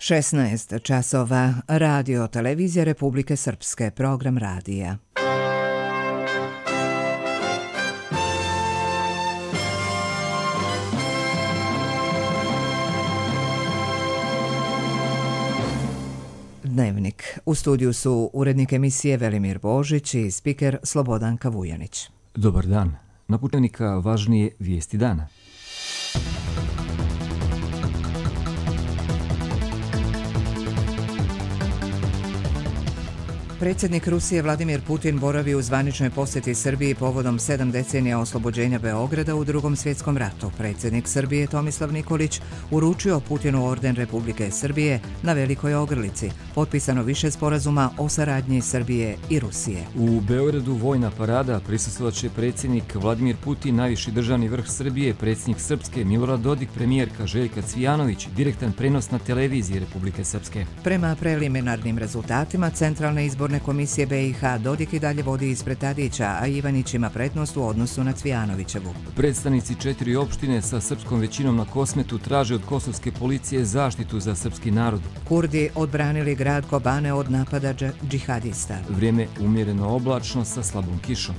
16 časova, Radio Televizija Republike Srpske, program radija. Dnevnik. U studiju su urednik emisije Velimir Božić i spiker Slobodanka Vujanić. Dobar dan. Na Dnevnika važnije vijesti dana. Predsjednik Rusije Vladimir Putin boravi u zvaničnoj posjeti Srbiji povodom 7 decenija oslobođenja Beograda u Drugom svjetskom ratu. Predsjednik Srbije Tomislav Nikolić uručio Putinu orden Republike Srbije na Velikoj Ogrlici. Potpisano više sporazuma o saradnji Srbije i Rusije. U Beogradu vojna parada, prisustvovat će predsjednik Vladimir Putin, najviši državni vrh Srbije, predsjednik Srpske Milorad Dodik, premijerka Željka Cvijanović, direktan prenos na televiziji Republike Srpske. Prema preliminarnim rezultatima Centralne izborne komisije BiH, Dodik i dalje vodi ispred Tadića, a Ivanić ima prednost u odnosu na Cvijanovićevu. Predstavnici 4 opštine sa srpskom većinom na Kosmetu traže od kosovske policije zaštitu za srpski narod. Kurdi odbranili grad Kobane od napada džihadista. Vrijeme umjereno oblačno sa slabom kišom.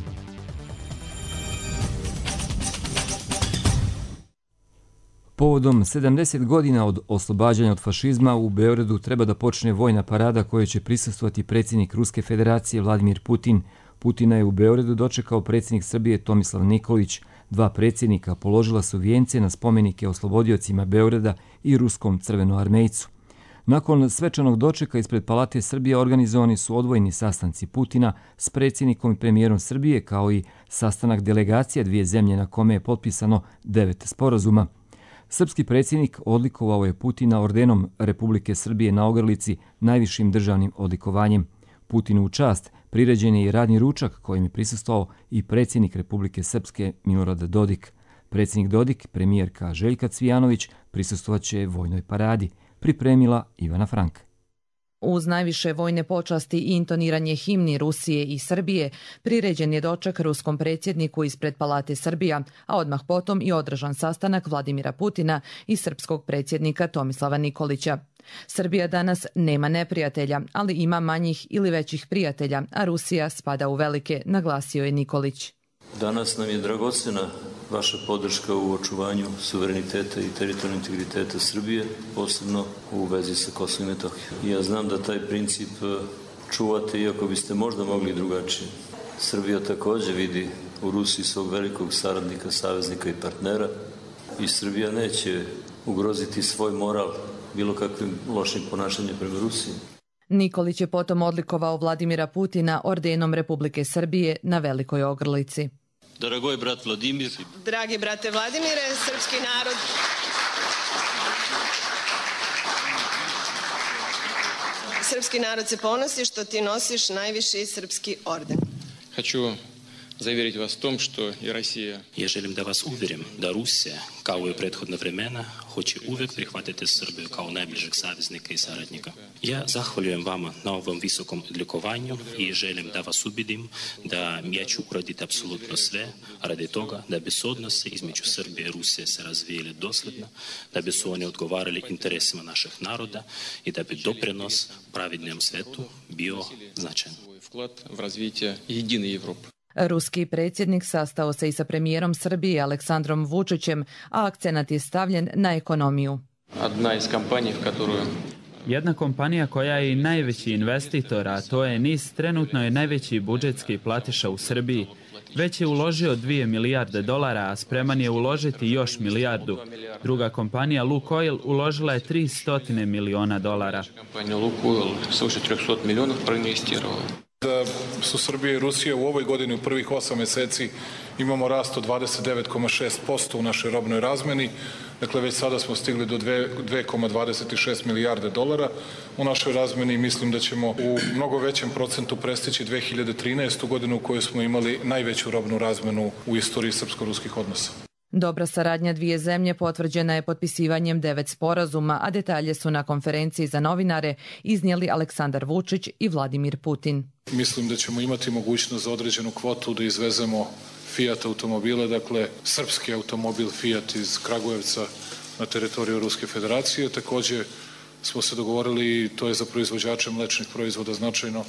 Povodom 70 godina od oslobađanja od fašizma u Beogradu treba da počne vojna parada kojoj će prisustvovati predsjednik Ruske federacije Vladimir Putin. Putina je u Beogradu dočekao predsjednik Srbije Tomislav Nikolić. Dva predsjednika položila su vijence na spomenike oslobodiocima Beograda i ruskom crvenoarmejcu. Nakon svečanog dočeka ispred Palate Srbije organizovani su odvojeni sastanci Putina s predsjednikom i premijerom Srbije, kao i sastanak delegacija dvije zemlje na kome je potpisano 9 sporazuma. Srpski predsjednik odlikovao je Putina ordenom Republike Srbije na Ogrlici, najvišim državnim odlikovanjem. Putinu u čast priređen je i radni ručak kojim je prisustvovao i predsjednik Republike Srpske Milorad Dodik. Predsjednik Dodik, premijerka Željka Cvijanović prisustvovat će vojnoj paradi, pripremila Ivana Frank. Uz najviše vojne počasti i intoniranje himni Rusije i Srbije, priređen je doček ruskom predsjedniku ispred Palate Srbija, a odmah potom i održan sastanak Vladimira Putina i srpskog predsjednika Tomislava Nikolića. Srbija danas nema neprijatelja, ali ima manjih ili većih prijatelja, a Rusija spada u velike, naglasio je Nikolić. Danas nam je dragocjena vaša podrška u očuvanju suvereniteta i teritorijalnog integriteta Srbije, posebno u vezi sa Kosovom i Metohijom. Ja znam da taj princip čuvate, iako biste možda mogli drugačije. Srbija također vidi u Rusiji svog velikog saradnika, saveznika i partnera i Srbija neće ugroziti svoj moral bilo kakvim lošim ponašanjem prema Rusiji. Nikolić je potom odlikovao Vladimira Putina ordenom Republike Srbije na Velikoj Ogrlici. Dragoj brat Vladimir. Dragi brate Vladimire, srpski narod. Srpski narod se ponosi što ti nosiš najviši srpski orden. Хочу заверить вас в том, что и Россия... Я želim da vas uvjerim da Rusija, kao i u prethodna vremena, hoće uvijek prihvatiti Srbiju kao najbližeg saveznika i saradnika. Ja zahvaljujem vama na ovom visokom odlikovanju i želim da vas ubedim da ja ću uraditi apsolutno sve radi toga da bi se odnosi između Srbije i Rusije se razvijeli dosljedno, da bi su oni odgovarali interesima naših naroda i da bi doprinos pravednom svetu bio značajan. Вклад в развитие единой Европы. Ruski predsjednik sastao se i sa premijerom Srbije Aleksandrom Vučićem, a akcenat je stavljen na ekonomiju. Jedna kompanija koja je i najveći investitor, a to je NIS, trenutno je najveći budžetski platiša u Srbiji. Već je uložio $2 milijarde, a spreman je uložiti još milijardu. Druga kompanija Lukoil uložila je $300 miliona. Da su Srbija i Rusija u ovoj godini u prvih 8 mjeseci imamo rast od 29,6% u našoj robnoj razmeni. Dakle, već sada smo stigli do $2,26 milijarde u našoj razmeni i mislim da ćemo u mnogo većem procentu prestići 2013. godinu u kojoj smo imali najveću robnu razmenu u istoriji srpsko-ruskih odnosa. Dobra saradnja dvije zemlje potvrđena je potpisivanjem 9 sporazuma, a detalje su na konferenciji za novinare iznijeli Aleksandar Vučić i Vladimir Putin. Mislim da ćemo imati mogućnost za određenu kvotu da izvezemo Fiat automobile, dakle srpski automobil Fiat iz Kragujevca na teritoriju Ruske federacije. Također smo se dogovorili, to je za proizvođače mlečnih proizvoda značajno,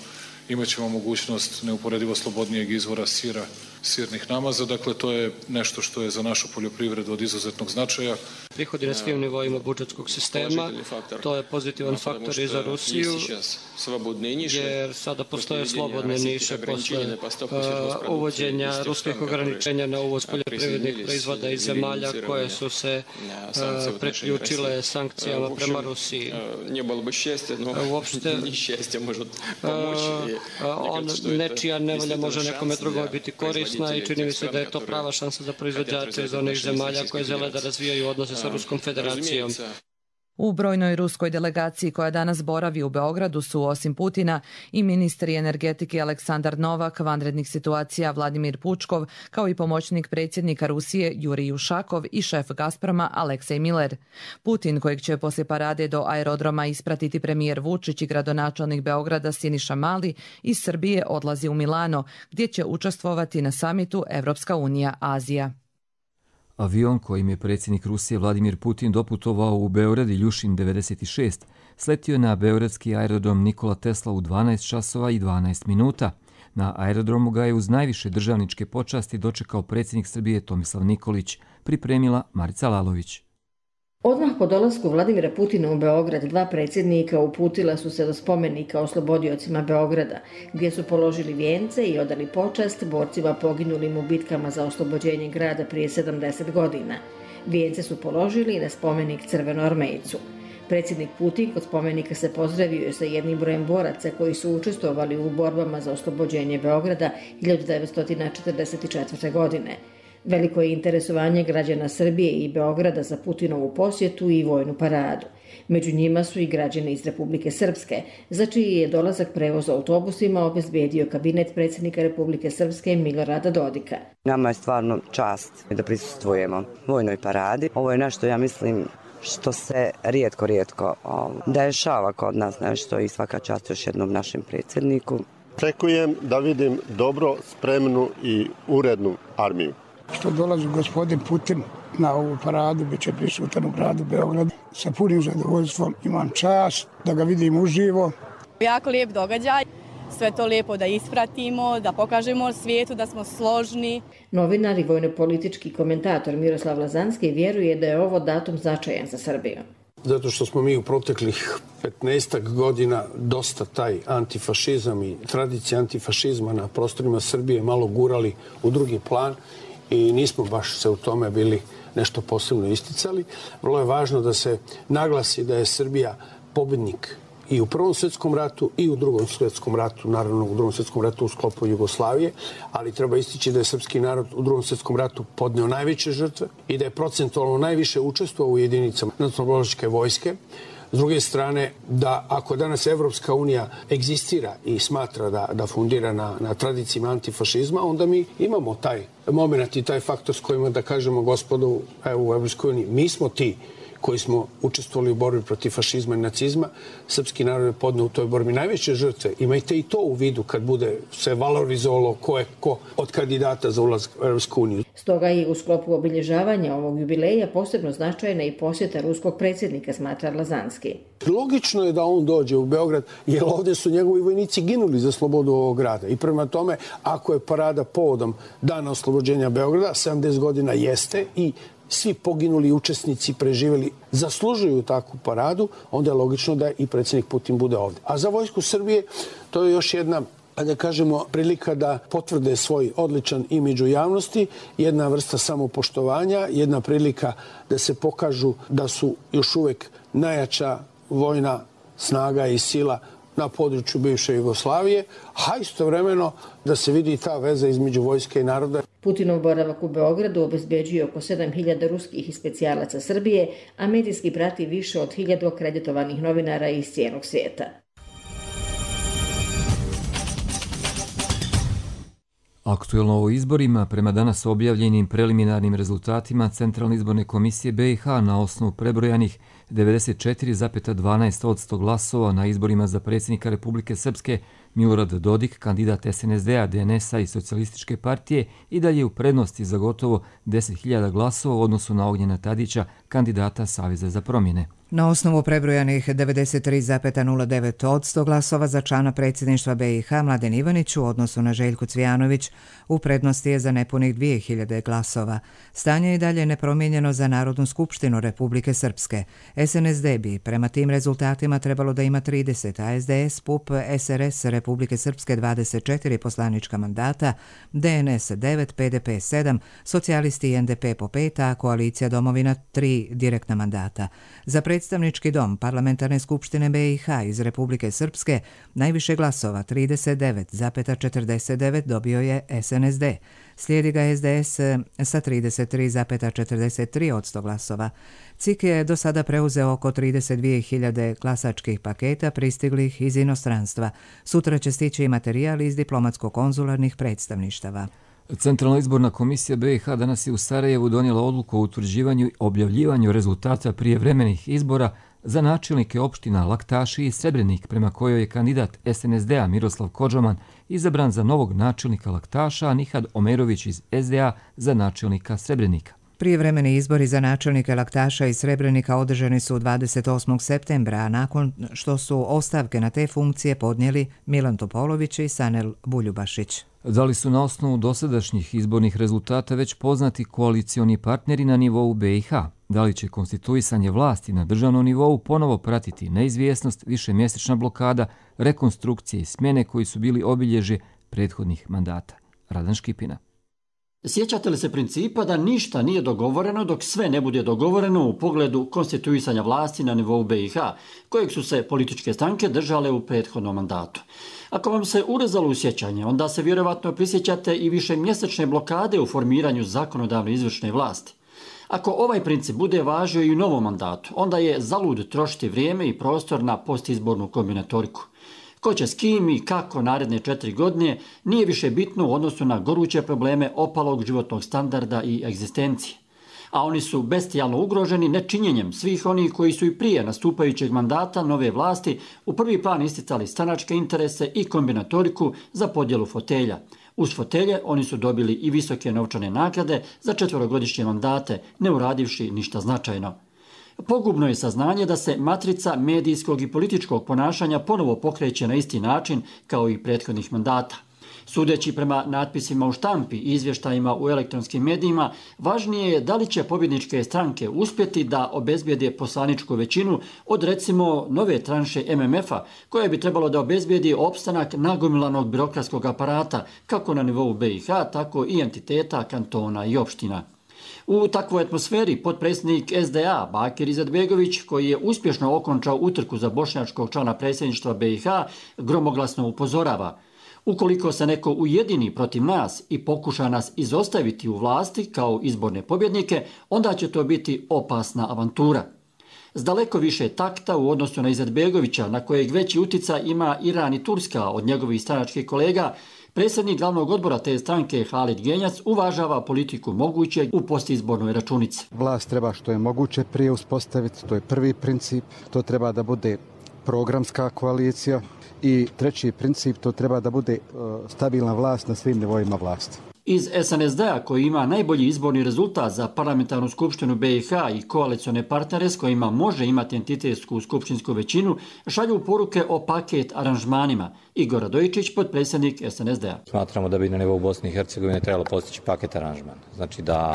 imaćemo mogućnost neuporedivo slobodnijeg izvora sira, sirnih namaza. Dakle, to je nešto što je za našu poljoprivredu od izuzetnog značaja. Prihodi na svim nivoima budžetskog sistema, to je pozitivan faktor i za Rusiju, jer sada postoje slobodne niše posle uvođenja ruskih ograničenja na uvoz poljoprivrednih proizvoda iz zemalja koje su se preključile sankcijama prema Rusiji. Uopšte, nečija nevolja može nekome drugome biti korisna i čini mi se da je to prava šansa za proizvođače iz onih zemalja koje žele da razvijaju odnose sa Ruskom federacijom. U brojnoj ruskoj delegaciji koja danas boravi u Beogradu su osim Putina i ministri energetike Aleksandar Novak, vanrednih situacija Vladimir Pučkov, kao i pomoćnik predsjednika Rusije Jurij Ušakov i šef Gazproma Aleksej Miller. Putin, kojeg će poslije parade do aerodroma ispratiti premijer Vučić i gradonačelnik Beograda Siniša Mali, iz Srbije odlazi u Milano, gdje će učestvovati na samitu Evropska unija-Azija. Avion kojim je predsjednik Rusije Vladimir Putin doputovao u Beograd Iljušin 96 sletio je na beogradski aerodrom Nikola Tesla u 12 časova i 12 minuta. Na aerodromu ga je uz najviše državničke počasti dočekao predsjednik Srbije Tomislav Nikolić, pripremila Marica Lalović. Odmah po dolasku Vladimira Putina u Beograd, dva predsjednika uputila su se do spomenika oslobodiocima Beograda, gdje su položili vijence i odali počast borcima poginulim u bitkama za oslobođenje grada prije 70 godina. Vijence su položili na spomenik Crvenoarmejcu. Predsjednik Putin kod spomenika se pozdravio sa jednim brojem boraca koji su učestvovali u borbama za oslobođenje Beograda 1944. godine. Veliko je interesovanje građana Srbije i Beograda za Putinovu posjetu i vojnu paradu. Među njima su i građani iz Republike Srpske, za čiji je dolazak prevoz autobusima obezbedio kabinet predsjednika Republike Srpske Milorada Dodika. Nama je stvarno čast da prisustvujemo vojnoj paradi. Ovo je nešto, ja mislim, što se rijetko dešava kod nas nešto i svaka čast još jednom našem predsjedniku. Očekujem da vidim dobro, spremnu i urednu armiju. Što dolazi gospodin Putin na ovu paradu, bit će prisutan u gradu Beogradu. Sa punim zadovoljstvom imam čast da ga vidim uživo. Jako lijep događaj, sve to lijepo da ispratimo, da pokažemo svijetu da smo složni. Novinar i vojno-politički komentator Miroslav Lazanski vjeruje da je ovo datum značajan za Srbiju. Zato što smo mi u proteklih 15 godina dosta taj antifašizam i tradicija antifašizma na prostorima Srbije malo gurali u drugi plan i nismo baš se u tome bili nešto posebno isticali. Vrlo je važno da se naglasi da je Srbija pobjednik i u Prvom svjetskom ratu i u Drugom svjetskom ratu, naravno u Drugom svjetskom ratu u sklopu Jugoslavije, ali treba istići da je srpski narod u Drugom svjetskom ratu podneo najveće žrtve i da je procentualno najviše učestvovao u jedinicama nacionalno-oslobodilačke vojske. S druge strane, da ako danas Evropska unija egzistira i smatra da fundira na tradicijama antifašizma, onda mi imamo taj moment i taj faktor s kojima da kažemo gospodu u Evropskoj uniji, mi smo ti koji smo učestvovali u borbi protiv fašizma i nacizma. Srpski narod je podneo u toj borbi najveće žrtve. Imajte i to u vidu kad bude se valorizovalo ko je ko od kandidata za ulazak u Evropsku uniju. Stoga i u sklopu obilježavanja ovog jubileja posebno značajna i posjeta ruskog predsjednika, smatra Lazanski. Logično je da on dođe u Beograd, jer ovdje su njegovi vojnici ginuli za slobodu ovog grada. I prema tome, ako je parada povodom dana oslobođenja Beograda, 70 godina jeste i svi poginuli učesnici preživjeli zaslužuju takvu paradu, onda je logično da i predsjednik Putin bude ovdje. A za vojsku Srbije to je još jedna, da kažemo, prilika da potvrde svoj odličan imidž u javnosti, jedna vrsta samopoštovanja, jedna prilika da se pokažu da su još uvijek najjača vojna snaga i sila na području bivše Jugoslavije, a istovremeno da se vidi ta veza između vojske i naroda. Putinov boravak u Beogradu obezbeđuje oko 7.000 ruskih i specijalaca Srbije, a medijski prati više od 1.000 akreditovanih novinara iz cijelog svijeta. Aktuelno o izborima, prema danas objavljenim preliminarnim rezultatima Centralne izborne komisije BiH na osnovu prebrojanih 94,12% glasova na izborima za predsjednika Republike Srpske Milorad Dodik, kandidat SNSD-a, DNS-a i Socijalističke partije, i dalje u prednosti za gotovo 10.000 glasova u odnosu na Ognjena Tadića, kandidata Saveza za promjene. Na osnovu prebrojanih 93,09% glasova za člana predsjedništva BiH Mladen Ivanić u odnosu na Željku Cvijanović u prednosti je za nepunih 2.000 glasova. Stanje je dalje nepromijenjeno za Narodnu skupštinu Republike Srpske. SNSD bi prema tim rezultatima trebalo da ima 30, a SDS, PUP, SRS Republike Srpske 24 poslanička mandata, DNS 9, PDP 7, socijalisti i NDP po 5, a koalicija Domovina 3 direktna mandata. Za Predstavnički dom Parlamentarne skupštine BiH iz Republike Srpske najviše glasova 39,49 dobio je SNSD. Slijedi ga SDS sa 33,43% glasova. CIK je do sada preuzeo oko 32.000 glasačkih paketa pristiglih iz inostranstva. Sutra će stići i materijal iz diplomatsko-konzularnih predstavništava. Centralna izborna komisija BiH danas je u Sarajevu donijela odluku o utvrđivanju i objavljivanju rezultata prijevremenih izbora za načelnike opština Laktaši i Srebrenik, prema kojoj je kandidat SNSD-a Miroslav Kodžoman izabran za novog načelnika Laktaša, a Nihad Omerović iz SDA za načelnika Srebrenika. Prijevremeni izbori za načelnike Laktaša i Srebrenika održani su 28. septembra, a nakon što su ostavke na te funkcije podnijeli Milan Topolović i Sanel Buljubašić. Da li su na osnovu dosadašnjih izbornih rezultata već poznati koalicioni partneri na nivou BiH? Da li će konstituisanje vlasti na državnom nivou ponovo pratiti neizvjesnost, višemjesečna blokada, rekonstrukcije i smjene koji su bili obilježje prethodnih mandata? Radan Škipina. Sjećate li se principa da ništa nije dogovoreno dok sve ne bude dogovoreno u pogledu konstituisanja vlasti na nivou BiH, kojeg su se političke stranke držale u prethodnom mandatu? Ako vam se urezalo u sjećanje, onda se vjerovatno prisjećate i višemjesečne blokade u formiranju zakonodavne izvršne vlasti. Ako ovaj princip bude važio i u novom mandatu, onda je zalud trošiti vrijeme i prostor na postizbornu kombinatoriku. Ko će s kim i kako naredne 4 godine nije više bitno u odnosu na goruće probleme opalog životnog standarda i egzistencije. A oni su bestijalno ugroženi nečinjenjem svih onih koji su i prije nastupajućeg mandata nove vlasti u prvi plan isticali stranačke interese i kombinatoriku za podjelu fotelja. Uz fotelje oni su dobili i visoke novčane nagrade za 4-godišnje mandate, ne uradivši ništa značajno. Pogubno je saznanje da se matrica medijskog i političkog ponašanja ponovo pokreće na isti način kao i prethodnih mandata. Sudeći prema natpisima u štampi i izvještajima u elektronskim medijima, važnije je da li će pobjedničke stranke uspjeti da obezbijede poslaničku većinu od recimo nove tranše MMF-a, koja bi trebalo da obezbijedi opstanak nagomilanog birokratskog aparata kako na nivou BiH, tako i entiteta, kantona i opština. U takvoj atmosferi potpredsjednik SDA Bakir Izetbegović, koji je uspješno okončao utrku za bošnjačkog člana predsjedništva BiH, gromoglasno upozorava: ukoliko se neko ujedini protiv nas i pokuša nas izostaviti u vlasti kao izborne pobjednike, onda će to biti opasna avantura. S daleko više takta u odnosu na Izetbegovića, na kojeg veći uticaj ima Iran i Turska od njegovih stranačkih kolega, predsjednik glavnog odbora te stranke Halid Genjac uvažava politiku mogućeg u postizbornoj računici. Vlast treba što je moguće prije uspostaviti, to je prvi princip, to treba da bude programska koalicija i treći princip, to treba da bude stabilna vlast na svim nivoima vlasti. Iz SNSD-a, koji ima najbolji izborni rezultat za parlamentarnu skupštinu BiH i koalicione partnere s kojima može imati entitetsku skupštinsku većinu, šalju poruke o paket aranžmanima. Igor Radojičić, potpredsjednik SNSD-a. Smatramo da bi na nivou Bosne i Hercegovine trebalo postići paket aranžman. Znači da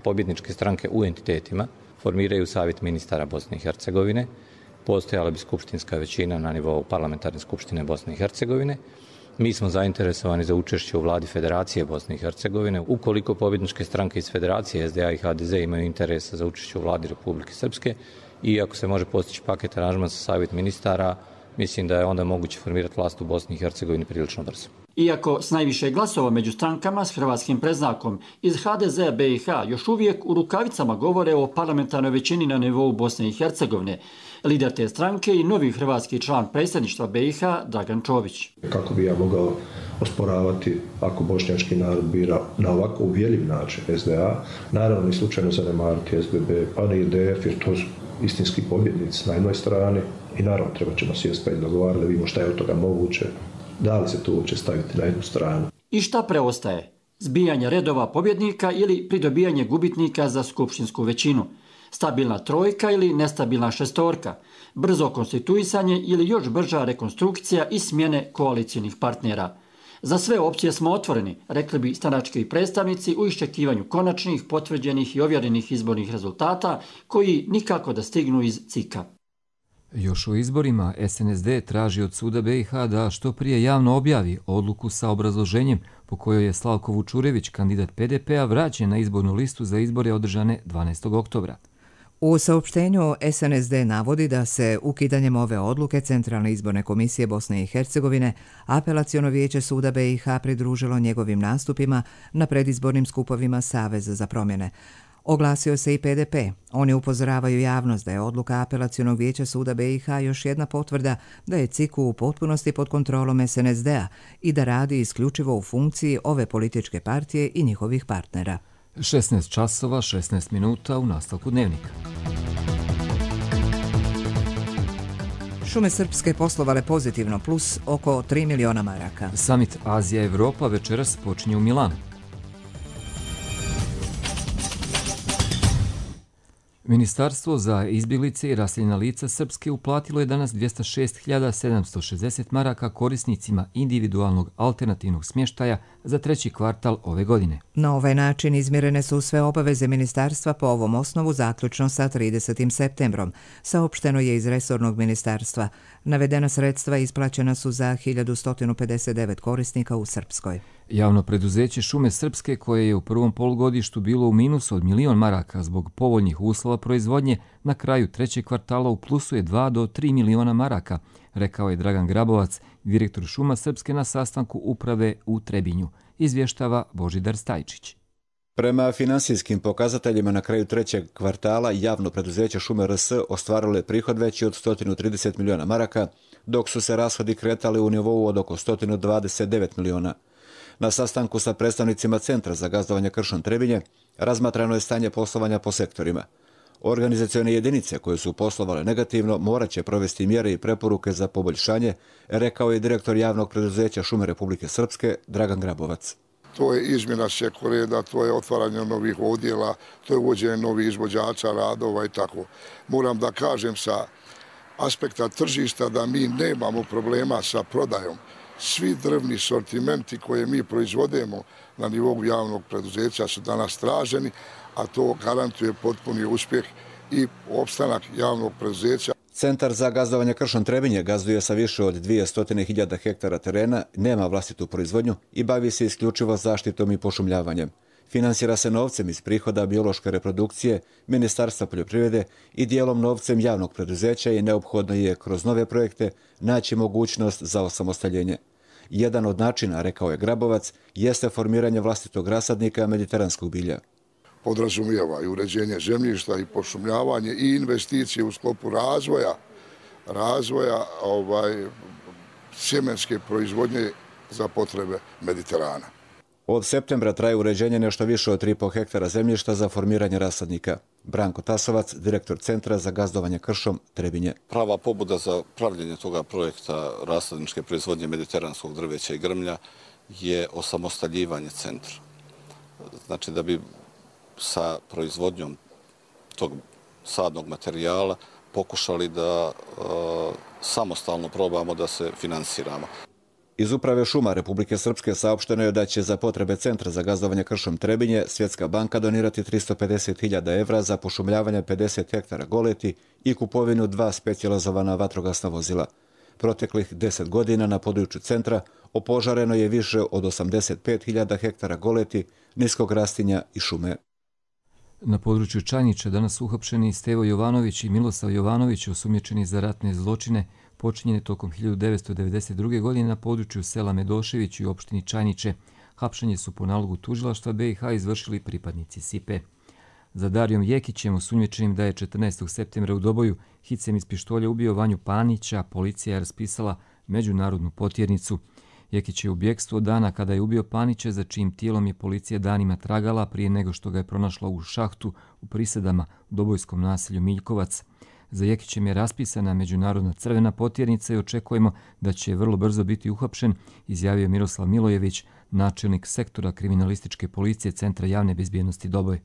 pobjedničke stranke u entitetima formiraju savjet ministara Bosne i Hercegovine, postojala bi skupštinska većina na nivou parlamentarne skupštine Bosne i Hercegovine. Mi smo zainteresovani za učešće u vladi Federacije Bosne i Hercegovine. Ukoliko pobjedničke stranke iz Federacije SDA i HDZ imaju interesa za učešće u vladi Republike Srpske i ako se može postići paket aranžman sa savjet ministara, mislim da je onda moguće formirati vlast u Bosni i Hercegovini prilično brzo. Iako s najviše glasova među strankama s hrvatskim predznakom iz HDZ-a BiH još uvijek u rukavicama govore o parlamentarnoj većini na nivou Bosne i Hercegovine, lider te stranke i novi hrvatski član predsjedništva BiH Dragan Čović. Kako bi ja mogao osporavati ako bošnjački narod bira na ovako uvjerljiv način SDA, naravno ni slučajno zanemariti SBB, pa ni IDF, jer to su istinski pobjednici na jednoj strani i naravno treba ćemo sjesti pa i dogovarati da vidimo šta je od toga moguće, Da li se to uopće staviti na jednu stranu? I šta preostaje? Zbijanje redova pobjednika ili pridobijanje gubitnika za skupštinsku većinu? Stabilna trojka ili nestabilna šestorka? Brzo konstituisanje ili još brža rekonstrukcija i smjene koalicijnih partnera? Za sve opcije smo otvoreni, rekli bi stranački predstavnici u iščekivanju konačnih, potvrđenih i ovjerenih izbornih rezultata koji nikako da stignu iz CIK-a. Još u izborima SNSD traži od suda BiH da što prije javno objavi odluku sa obrazloženjem po kojoj je Slavko Vučurević, kandidat PDP-a, vraćen na izbornu listu za izbore održane 12. oktobra. U saopštenju SNSD navodi da se ukidanjem ove odluke Centralne izborne komisije Bosne i Hercegovine Apelaciono vijeće suda BiH pridružilo njegovim nastupima na predizbornim skupovima Saveza za promjene. Oglasio se i PDP. Oni upozoravaju javnost da je odluka Apelacionog vijeća suda BiH još jedna potvrda da je CIK u potpunosti pod kontrolom SNSD-a i da radi isključivo u funkciji ove političke partije i njihovih partnera. 16 časova, 16 minuta u nastavku dnevnika. Šume srpske poslovale pozitivno plus oko 3 miliona maraka. Summit Azija-Evropa večeras počinje u Milanu. Ministarstvo za izbjeglice i raseljena lica Srpske uplatilo je danas 206.760 maraka korisnicima individualnog alternativnog smještaja za treći kvartal ove godine. Na ovaj način izmirene su sve obaveze ministarstva po ovom osnovu zaključno sa 30. septembrom, saopšteno je iz resornog ministarstva. Navedena sredstva isplaćena su za 1159 korisnika u Srpskoj. Javno preduzeće Šume Srpske, koje je u prvom polugodištu bilo u minusu od 1.000.000 maraka zbog povoljnih uslova proizvodnje, na kraju trećeg kvartala u plusu je 2 do 3 miliona maraka, rekao je Dragan Grabovac, direktor Šuma Srpske na sastanku uprave u Trebinju, izvještava Božidar Stajčić. Prema finansijskim pokazateljima na kraju trećeg kvartala javno preduzeće Šume RS ostvarilo je prihod veći od 130 miliona maraka, dok su se rashodi kretali u nivou od oko 129 miliona. Na sastanku sa predstavnicima Centra za gazdovanje kršom Trebinje razmatrano je stanje poslovanja po sektorima. Organizacione jedinice koje su poslovale negativno morat će provesti mjere i preporuke za poboljšanje, rekao je direktor javnog preduzeća Šume Republike Srpske Dragan Grabovac. To je izmjena sekoreda, to je otvaranje novih odjela, to je uvođenje novih izvođača radova i tako. Moram da kažem sa aspekta tržišta da mi nemamo problema sa prodajom. Svi drvni sortimenti koje mi proizvodimo na nivou javnog preduzeća su danas traženi, a to garantuje potpuni uspjeh i opstanak javnog preduzeća. Centar za gazdovanje kršom Trebinje gazduje sa više od 200.000 hektara terena, nema vlastitu proizvodnju i bavi se isključivo zaštitom i pošumljavanjem. Finansira se novcem iz prihoda biološke reprodukcije, Ministarstva poljoprivrede i dijelom novcem javnog preduzeća i neophodno je kroz nove projekte naći mogućnost za osamostaljenje. Jedan od načina, rekao je Grabovac, jeste formiranje vlastitog rasadnika mediteranskog bilja. Podrazumijeva i uređenje zemljišta i pošumljavanje i investicije u sklopu razvoja sjemenske proizvodnje za potrebe Mediterana. Od septembra traje uređenje nešto više od 3,5 hektara zemljišta za formiranje rasadnika. Branko Tasovac, direktor Centra za gazdovanje kršom Trebinje. Prava pobuda za pravljenje toga projekta rasadničke proizvodnje mediteranskog drveća i grmlja je osamostaljivanje centra. Znači da bi sa proizvodnjom tog sadnog materijala pokušali da samostalno probamo da se finansiramo. Iz Uprave šuma Republike Srpske saopšteno je da će za potrebe Centra za gazdovanje kršom Trebinje Svjetska banka donirati 350.000 evra za pošumljavanje 50 hektara goleti i kupovinu 2 specijalizovana vatrogasna vozila. Proteklih 10 godina na području centra opožareno je više od 85.000 hektara goleti, niskog rastinja i šume. Na području Čajnića danas uhapšeni Stevo Jovanović i Milosav Jovanović, osumnjičeni za ratne zločine počinjene tokom 1992. godine na području sela Medošević i opštini Čajniće. Hapšenje su po nalogu tužilaštva BiH izvršili pripadnici SIPE. Za Darijom Jekićem, osumnjičenim da je 14. septembra u Doboju hicem iz pištolja ubio Vanju Panića, policija je raspisala međunarodnu potjernicu. Jekić je u bjegstvu dana kada je ubio Panića, za čijim tijelom je policija danima tragala prije nego što ga je pronašla u šahtu u Prisedama u dobojskom naselju Miljkovac. Za Jekićem je raspisana međunarodna crvena potjernica i očekujemo da će vrlo brzo biti uhapšen, izjavio Miroslav Milojević, načelnik sektora kriminalističke policije Centra javne bezbjednosti Doboj.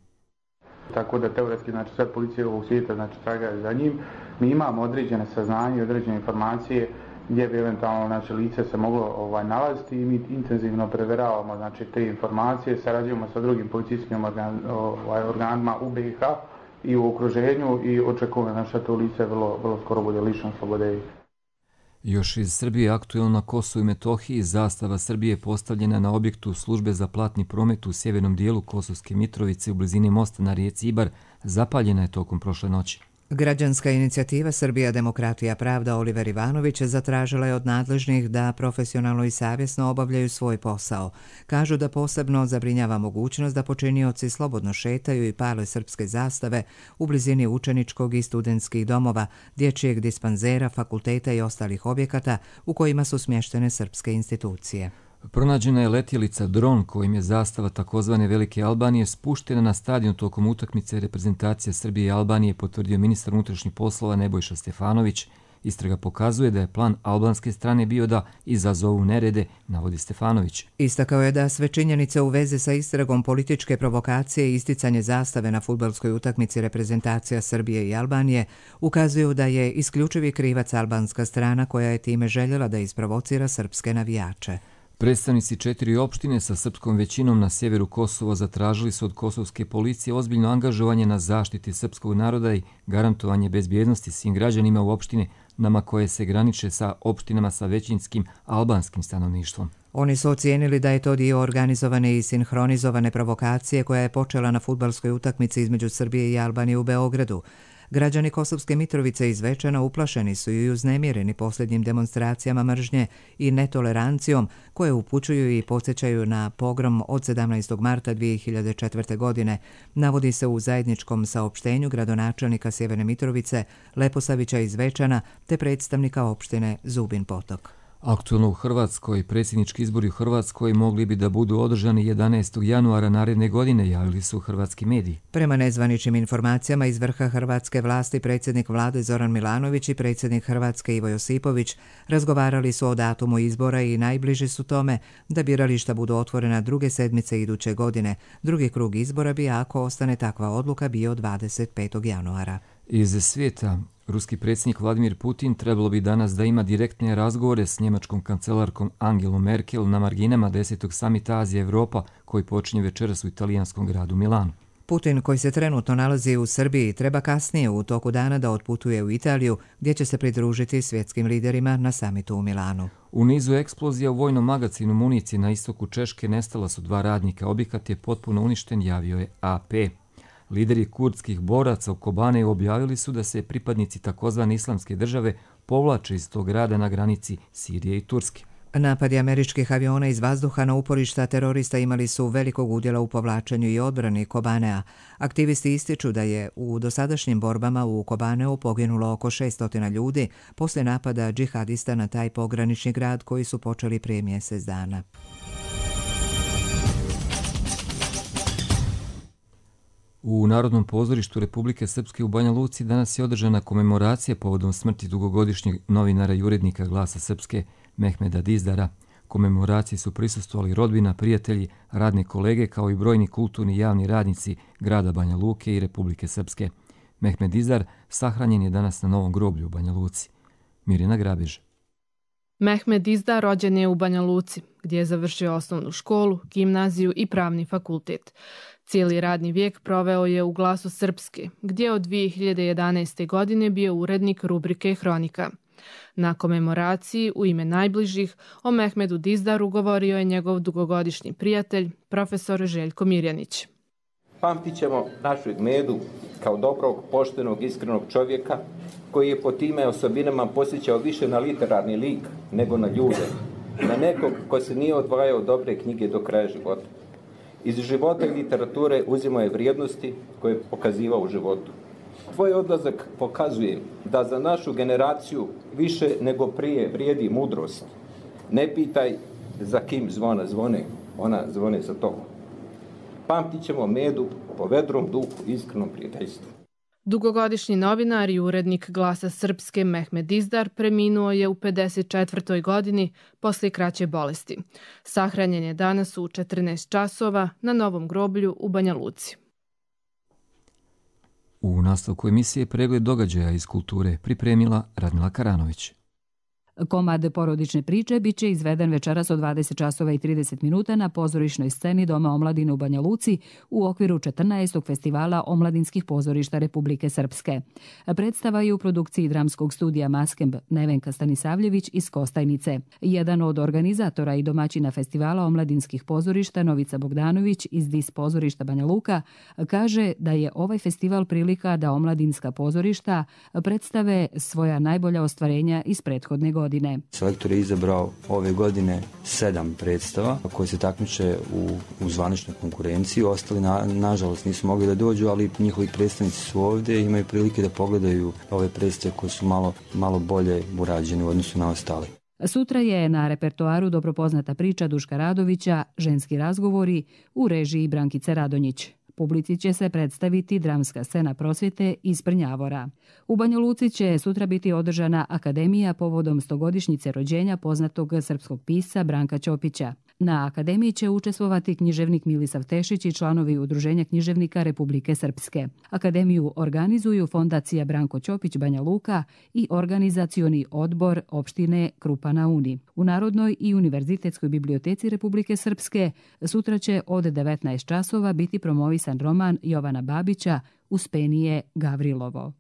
Tako da teoretski, znači sad policija ovog svijeta, znači traga za njim. Mi imamo određene saznanje i određene informacije gdje bi eventualno znači, lice se moglo nalaziti i mi intenzivno preveravamo znači, te informacije, sarađujemo sa drugim policijskim organima u BiH i u okruženju i očekujemo znači, da to lice vrlo skoro bude lišeno slobode. Još iz Srbije aktuelno na Kosovu i Metohiji zastava Srbije postavljena na objektu službe za platni promet u sjevernom dijelu Kosovske Mitrovice u blizini mosta na rijeci Ibar zapaljena je tokom prošle noći. Građanska inicijativa Srbija, demokratija, pravda Oliver Ivanović zatražila je od nadležnih da profesionalno i savjesno obavljaju svoj posao. Kažu da posebno zabrinjava mogućnost da počinioci slobodno šetaju i pale srpske zastave u blizini učeničkog i studentskih domova, dječjeg dispanzera, fakulteta i ostalih objekata u kojima su smještene srpske institucije. Pronađena je letjelica dron kojim je zastava takozvane Velike Albanije spuštena na stadion tokom utakmice reprezentacije Srbije i Albanije, potvrdio ministar unutrašnjih poslova Nebojša Stefanović. Istraga pokazuje da je plan albanske strane bio da izazovu nerede, navodi Stefanović. Istakao je da sve činjenice u vezi sa istragom političke provokacije i isticanje zastave na fudbalskoj utakmici reprezentacija Srbije i Albanije ukazuju da je isključivi krivac albanska strana koja je time željela da isprovocira srpske navijače. Predstavnici 4 opštine sa srpskom većinom na sjeveru Kosova zatražili su od kosovske policije ozbiljno angažovanje na zaštiti srpskog naroda i garantovanje bezbjednosti svim građanima u opštinama koje se graniče sa opštinama sa većinskim albanskim stanovništvom. Oni su ocijenili da je to dio organizovane i sinhronizovane provokacije koja je počela na fudbalskoj utakmici između Srbije i Albanije u Beogradu. Građani Kosovske Mitrovice i Zvečana uplašeni su i uznemireni posljednjim demonstracijama mržnje i netolerancijom koje upućuju i podsjećaju na pogrom od 17. marta 2004. godine, navodi se u zajedničkom saopštenju gradonačelnika Sjeverne Mitrovice, Leposavića i Zvečana te predstavnika opštine Zubin Potok. Aktualno u Hrvatskoj, predsjednički izbori u Hrvatskoj mogli bi da budu održani 11. januara naredne godine, javili su hrvatski mediji. Prema nezvaničnim informacijama iz vrha hrvatske vlasti, predsjednik vlade Zoran Milanović i predsjednik Hrvatske Ivo Josipović razgovarali su o datumu izbora i najbliži su tome da birališta budu otvorena druge sedmice iduće godine. Drugi krug izbora bi, ako ostane takva odluka, bio 25. januara. Iz svijeta, ruski predsjednik Vladimir Putin trebalo bi danas da ima direktne razgovore s njemačkom kancelarkom Angelom Merkel na marginama 10. samita Azija-Evropa koji počinje večeras u italijanskom gradu Milanu. Putin, koji se trenutno nalazi u Srbiji, treba kasnije u toku dana da otputuje u Italiju, gdje će se pridružiti svjetskim liderima na samitu u Milanu. U nizu eksplozija u vojnom magacinu municije na istoku Češke nestala su 2 radnika. Objekat je potpuno uništen, javio je AP. Lideri kurdskih boraca u Kobaneju objavili su da se pripadnici takozvane islamske države povlače iz tog grada na granici Sirije i Turske. Napadi američkih aviona iz vazduha na uporišta terorista imali su velikog udjela u povlačenju i odbrani Kobanea. Aktivisti ističu da je u dosadašnjim borbama u Kobaneu poginulo oko 600 ljudi poslije napada džihadista na taj pogranični grad koji su počeli prije mjesec dana. U Narodnom pozorištu Republike Srpske u Banja Luci danas je održana komemoracija povodom smrti dugogodišnjeg novinara i urednika Glasa Srpske Mehmeda Dizdara. Komemoraciji su prisustvovali rodbina, prijatelji, radne kolege kao i brojni kulturni javni radnici grada Banja Luke i Republike Srpske. Mehmed Dizdar sahranjen je danas na Novom groblju u Banja Luci. Mirjana Grabež. Mehmed Dizdar rođen je u Banja Luci, gdje je završio osnovnu školu, gimnaziju i pravni fakultet. Cijeli radni vijek proveo je u Glasu Srpske, gdje je od 2011. godine bio urednik rubrike Hronika. Na komemoraciji u ime najbližih o Mehmedu Dizdaru govorio je njegov dugogodišnji prijatelj, profesor Željko Mirjanić. Pamtit ćemo našeg Medu kao dobrog, poštenog, iskrenog čovjeka koji je po time osobinama posjećao više na literarni lik nego na ljude, na nekog ko se nije odvajao dobre knjige do kraja života. Iz života i literature uzimao je vrijednosti koje je pokazivao u životu. Tvoj odlazak pokazuje da za našu generaciju više nego prije vrijedi mudrost. Ne pitaj za kim zvona zvone, ona zvone za tobom. Pamtit ćemo Medu po vedrom duhu i iskrenom prijateljstvu. Dugogodišnji novinar i urednik Glasa Srpske Mehmed Dizdar preminuo je u 54. godini poslije kraće bolesti. Sahranjen je danas u 14 časova na Novom groblju u Banja Luci. U nastavku emisije pregled događaja iz kulture pripremila Radmila Karanović. Komad porodične priče bit će izveden večeras od 20 časova i 30 minuta na pozorišnoj sceni Doma omladine u Banja Luci u okviru 14. festivala omladinskih pozorišta Republike Srpske. Predstava je u produkciji dramskog studija Maskemb Nevenka Stanisavljević iz Kostajnice. Jedan od organizatora i domaćina festivala omladinskih pozorišta Novica Bogdanović iz DIS pozorišta Banja Luka kaže da je ovaj festival prilika da omladinska pozorišta predstave svoja najbolja ostvarenja iz prethodne godine. Selektor je izabrao ove godine 7 predstava koje se takmiče u zvaničnoj konkurenciji. Ostali nažalost nisu mogli da dođu, ali njihovi predstavnici su ovdje i imaju prilike da pogledaju ove predstave koje su malo bolje urađene u odnosu na ostale. Sutra je na repertoaru dobro poznata priča Duška Radovića Ženski razgovori u režiji Brankice Radonjić. Publici će se predstaviti dramska scena prosvjete iz Prnjavora. U Banja Luci će sutra biti održana akademija povodom 100-godišnjice rođenja poznatog srpskog pisca Branka Ćopića. Na akademiji će učestvovati književnik Milisav Tešić i članovi Udruženja književnika Republike Srpske. Akademiju organizuju Fondacija Branko Ćopić Banja Luka i organizacioni odbor opštine Krupa na Uni. U Narodnoj i Univerzitetskoj biblioteci Republike Srpske sutra će od 19 časova biti promovisan roman Jovana Babića Uspenije Gavrilovo.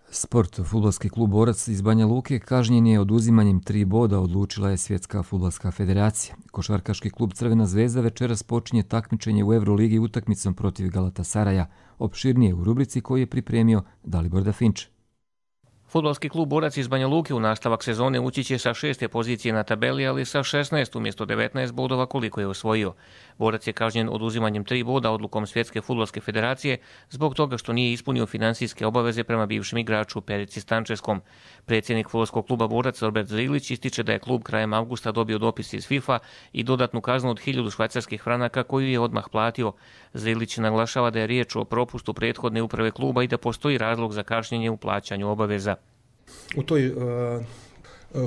Sport. Fudbalski klub Borac iz Banja Luke kažnjen je oduzimanjem 3 boda, odlučila je Svjetska fudbalska federacija. Košarkaški klub Crvena zvezda večeras počinje takmičenje u Euroligi utakmicom protiv Galatasaraja, opširnije u rubrici koju je pripremio Dalibor Dafinč. Fudbalski klub Borac iz Banja Luke u nastavak sezone ući će sa 6. pozicije na tabeli, ali sa 16 umjesto 19 bodova koliko je osvojio. Borac je kažnjen oduzimanjem 3 boda odlukom Svjetske fudbalske federacije zbog toga što nije ispunio financijske obaveze prema bivšem igraču Perici Stančeskom. Predsjednik fudbalskog kluba Borac Robert Zrilić ističe da je klub krajem avgusta dobio dopis iz FIFA i dodatnu kaznu od 1000 švajcarskih franaka koju je odmah platio. Zrilić naglašava da je riječ o propustu prethodne uprave kluba i da postoji razlog za kašnjenje u plaćanju obaveza. U toj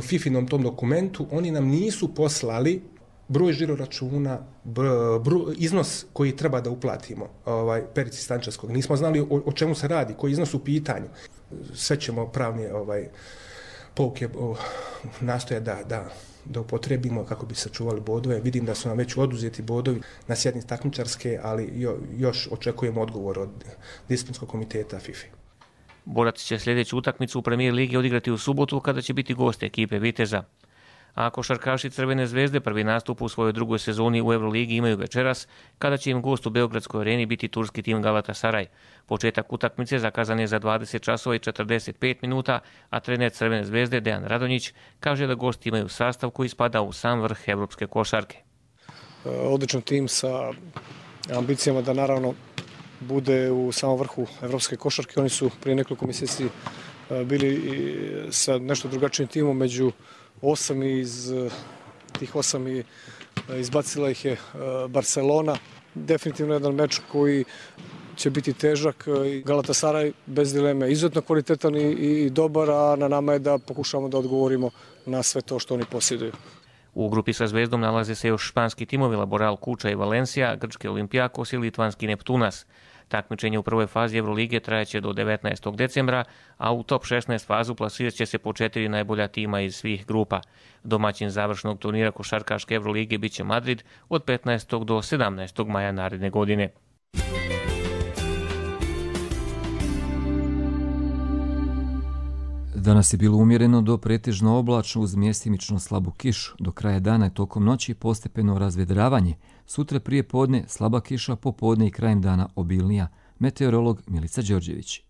FIFInom tom dokumentu oni nam nisu poslali broj žiroračuna, iznos koji treba da uplatimo Perici Stančevskog. Nismo znali o čemu se radi, koji iznos u pitanju. Sve ćemo pravne pouke nastoje da upotrebimo kako bi sačuvali bodove. Vidim da su nam već oduzeti bodovi na sjednici takmičarske, ali još očekujemo odgovor od disciplinskog komiteta FIFA. Borac će sljedeću utakmicu u Premier ligi odigrati u subotu kada će biti gost ekipe Viteza. A košarkaši Crvene zvezde prvi nastup u svojoj drugoj sezoni u Euroligi imaju večeras, kada će im gost u Beogradskoj areni biti turski tim Galatasaraj. Početak utakmice zakazan je za 20 časova i 45 minuta, a trener Crvene zvezde Dejan Radonjić kaže da gosti imaju sastav koji spada u sam vrh evropske košarke. Odličan tim sa ambicijama da naravno bude u samom vrhu evropske košarke. Oni su prije nekoliko mjeseci bili sa nešto drugačijim timom među 8 i iz tih 8 izbacila ih je Barcelona. Definitivno jedan meč koji će biti težak. Galatasaraj bez dileme izuzetno kvalitetan i dobar, a na nama je da pokušamo da odgovorimo na sve to što oni posjeduju. U grupi sa Zvezdom nalaze se još španski timovi Laboral Kuča i Valencia, grčki Olimpijakos i litvanski Neptunas. Takmičenje u prvoj fazi Evrolige trajaće do 19. decembra, a u top 16 fazu plasirat će se po 4 najbolja tima iz svih grupa. Domaćin završnog turnira košarkaške Evrolige biće Madrid od 15. do 17. maja naredne godine. Danas je bilo umjereno do pretežno oblačno uz mjestimično slabu kišu. Do kraja dana i tokom noći postepeno razvedravanje. Sutra prije podne slaba kiša, popodne i krajem dana obilnija. Meteorolog Milica Đorđević.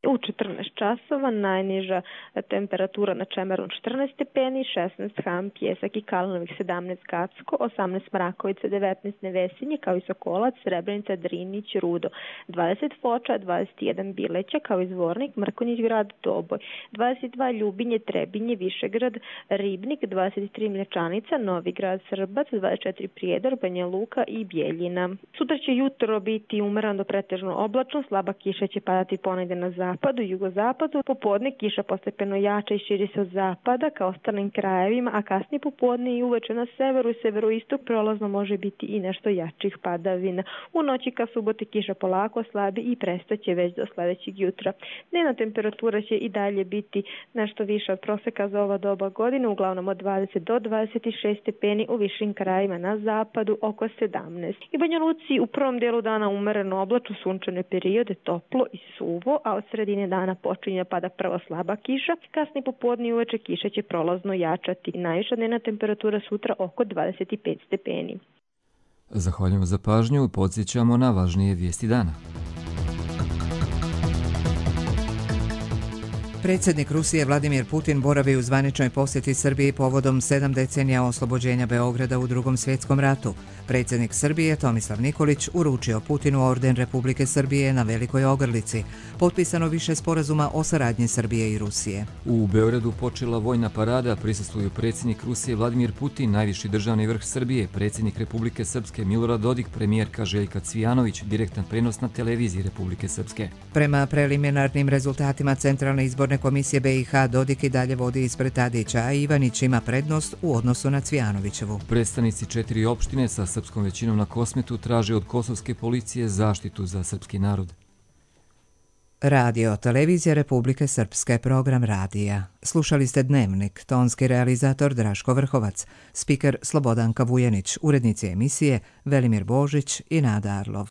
U 14 časova, najniža temperatura na Čemerun 14 stepeni, 16 Ham, Pjesak i Kalnovih, 17 Gacko, 18 Mrakovica, 19 Nevesinje, kao i Sokolac, Srebrenica, Drinić, Rudo, 20 Foča, 21 Bileća, kao i Zvornik, Mrkonjić grad, Doboj, 22 Ljubinje, Trebinje, Višegrad, Ribnik, 23 Mlječanica, Novi grad, Srbac, 24 Prijedor, Banja Luka i Bjeljina. Sutra će jutro biti umereno do pretežno oblačno, slaba kiša će padati ponegde na zapadu i jugozapadu, popodne kiša postepeno jača i širi se od zapada ka ostalim krajevima, a kasnije popodne i uveče na severu i severoistok prolazno može biti i nešto jačih padavina. U noći ka suboti kiša polako slabi i prestaće već do sledećeg jutra. Dnevna temperatura će i dalje biti nešto više od proseka za ova doba godine, uglavnom od 20 do 26 stepeni, u višim krajevima na zapadu oko 17. I Banja Luci u prvom delu dana umereno oblačno, sunčane periode, toplo i suvo, a od sredine dana počinje pada prvo slaba kiša, kasnije popodne i uveče kiša će prolazno jačati. Najviša dnevna temperatura sutra oko 25 stepeni. Zahvaljujemo za pažnju i podsjećamo na važnije vijesti dana. Predsjednik Rusije Vladimir Putin boravi u zvaničnoj posjeti Srbiji povodom 7 decenija oslobođenja Beograda u Drugom svjetskom ratu. Predsjednik Srbije Tomislav Nikolić uručio Putinu orden Republike Srbije na Velikoj Ogrlici. Potpisano više sporazuma o saradnji Srbije i Rusije. U Beogradu počela vojna parada, prisustvuju predsjednik Rusije Vladimir Putin, najviši državni vrh Srbije, predsjednik Republike Srpske Milorad Dodik, premijerka Željka Cvijanović, direktan prenos na televiziji Republike Srpske. Prema preliminarnim rezultatima Centralne izborne komisije BiH, Dodik i dalje vodi ispred Tadića, a Ivanić ima prednost u odnosu na Cvijanovićevu. Predstavnici 4 opštine sa srpskom većinom na Kosmetu traže od kosovske policije zaštitu za srpski narod. Radio Televizija Republike Srpske, program radija. Slušali ste Dnevnik, tonski realizator Draško Vrhovac, spiker Slobodanka Vujenić, urednici emisije Velimir Božić i Nada Arlov.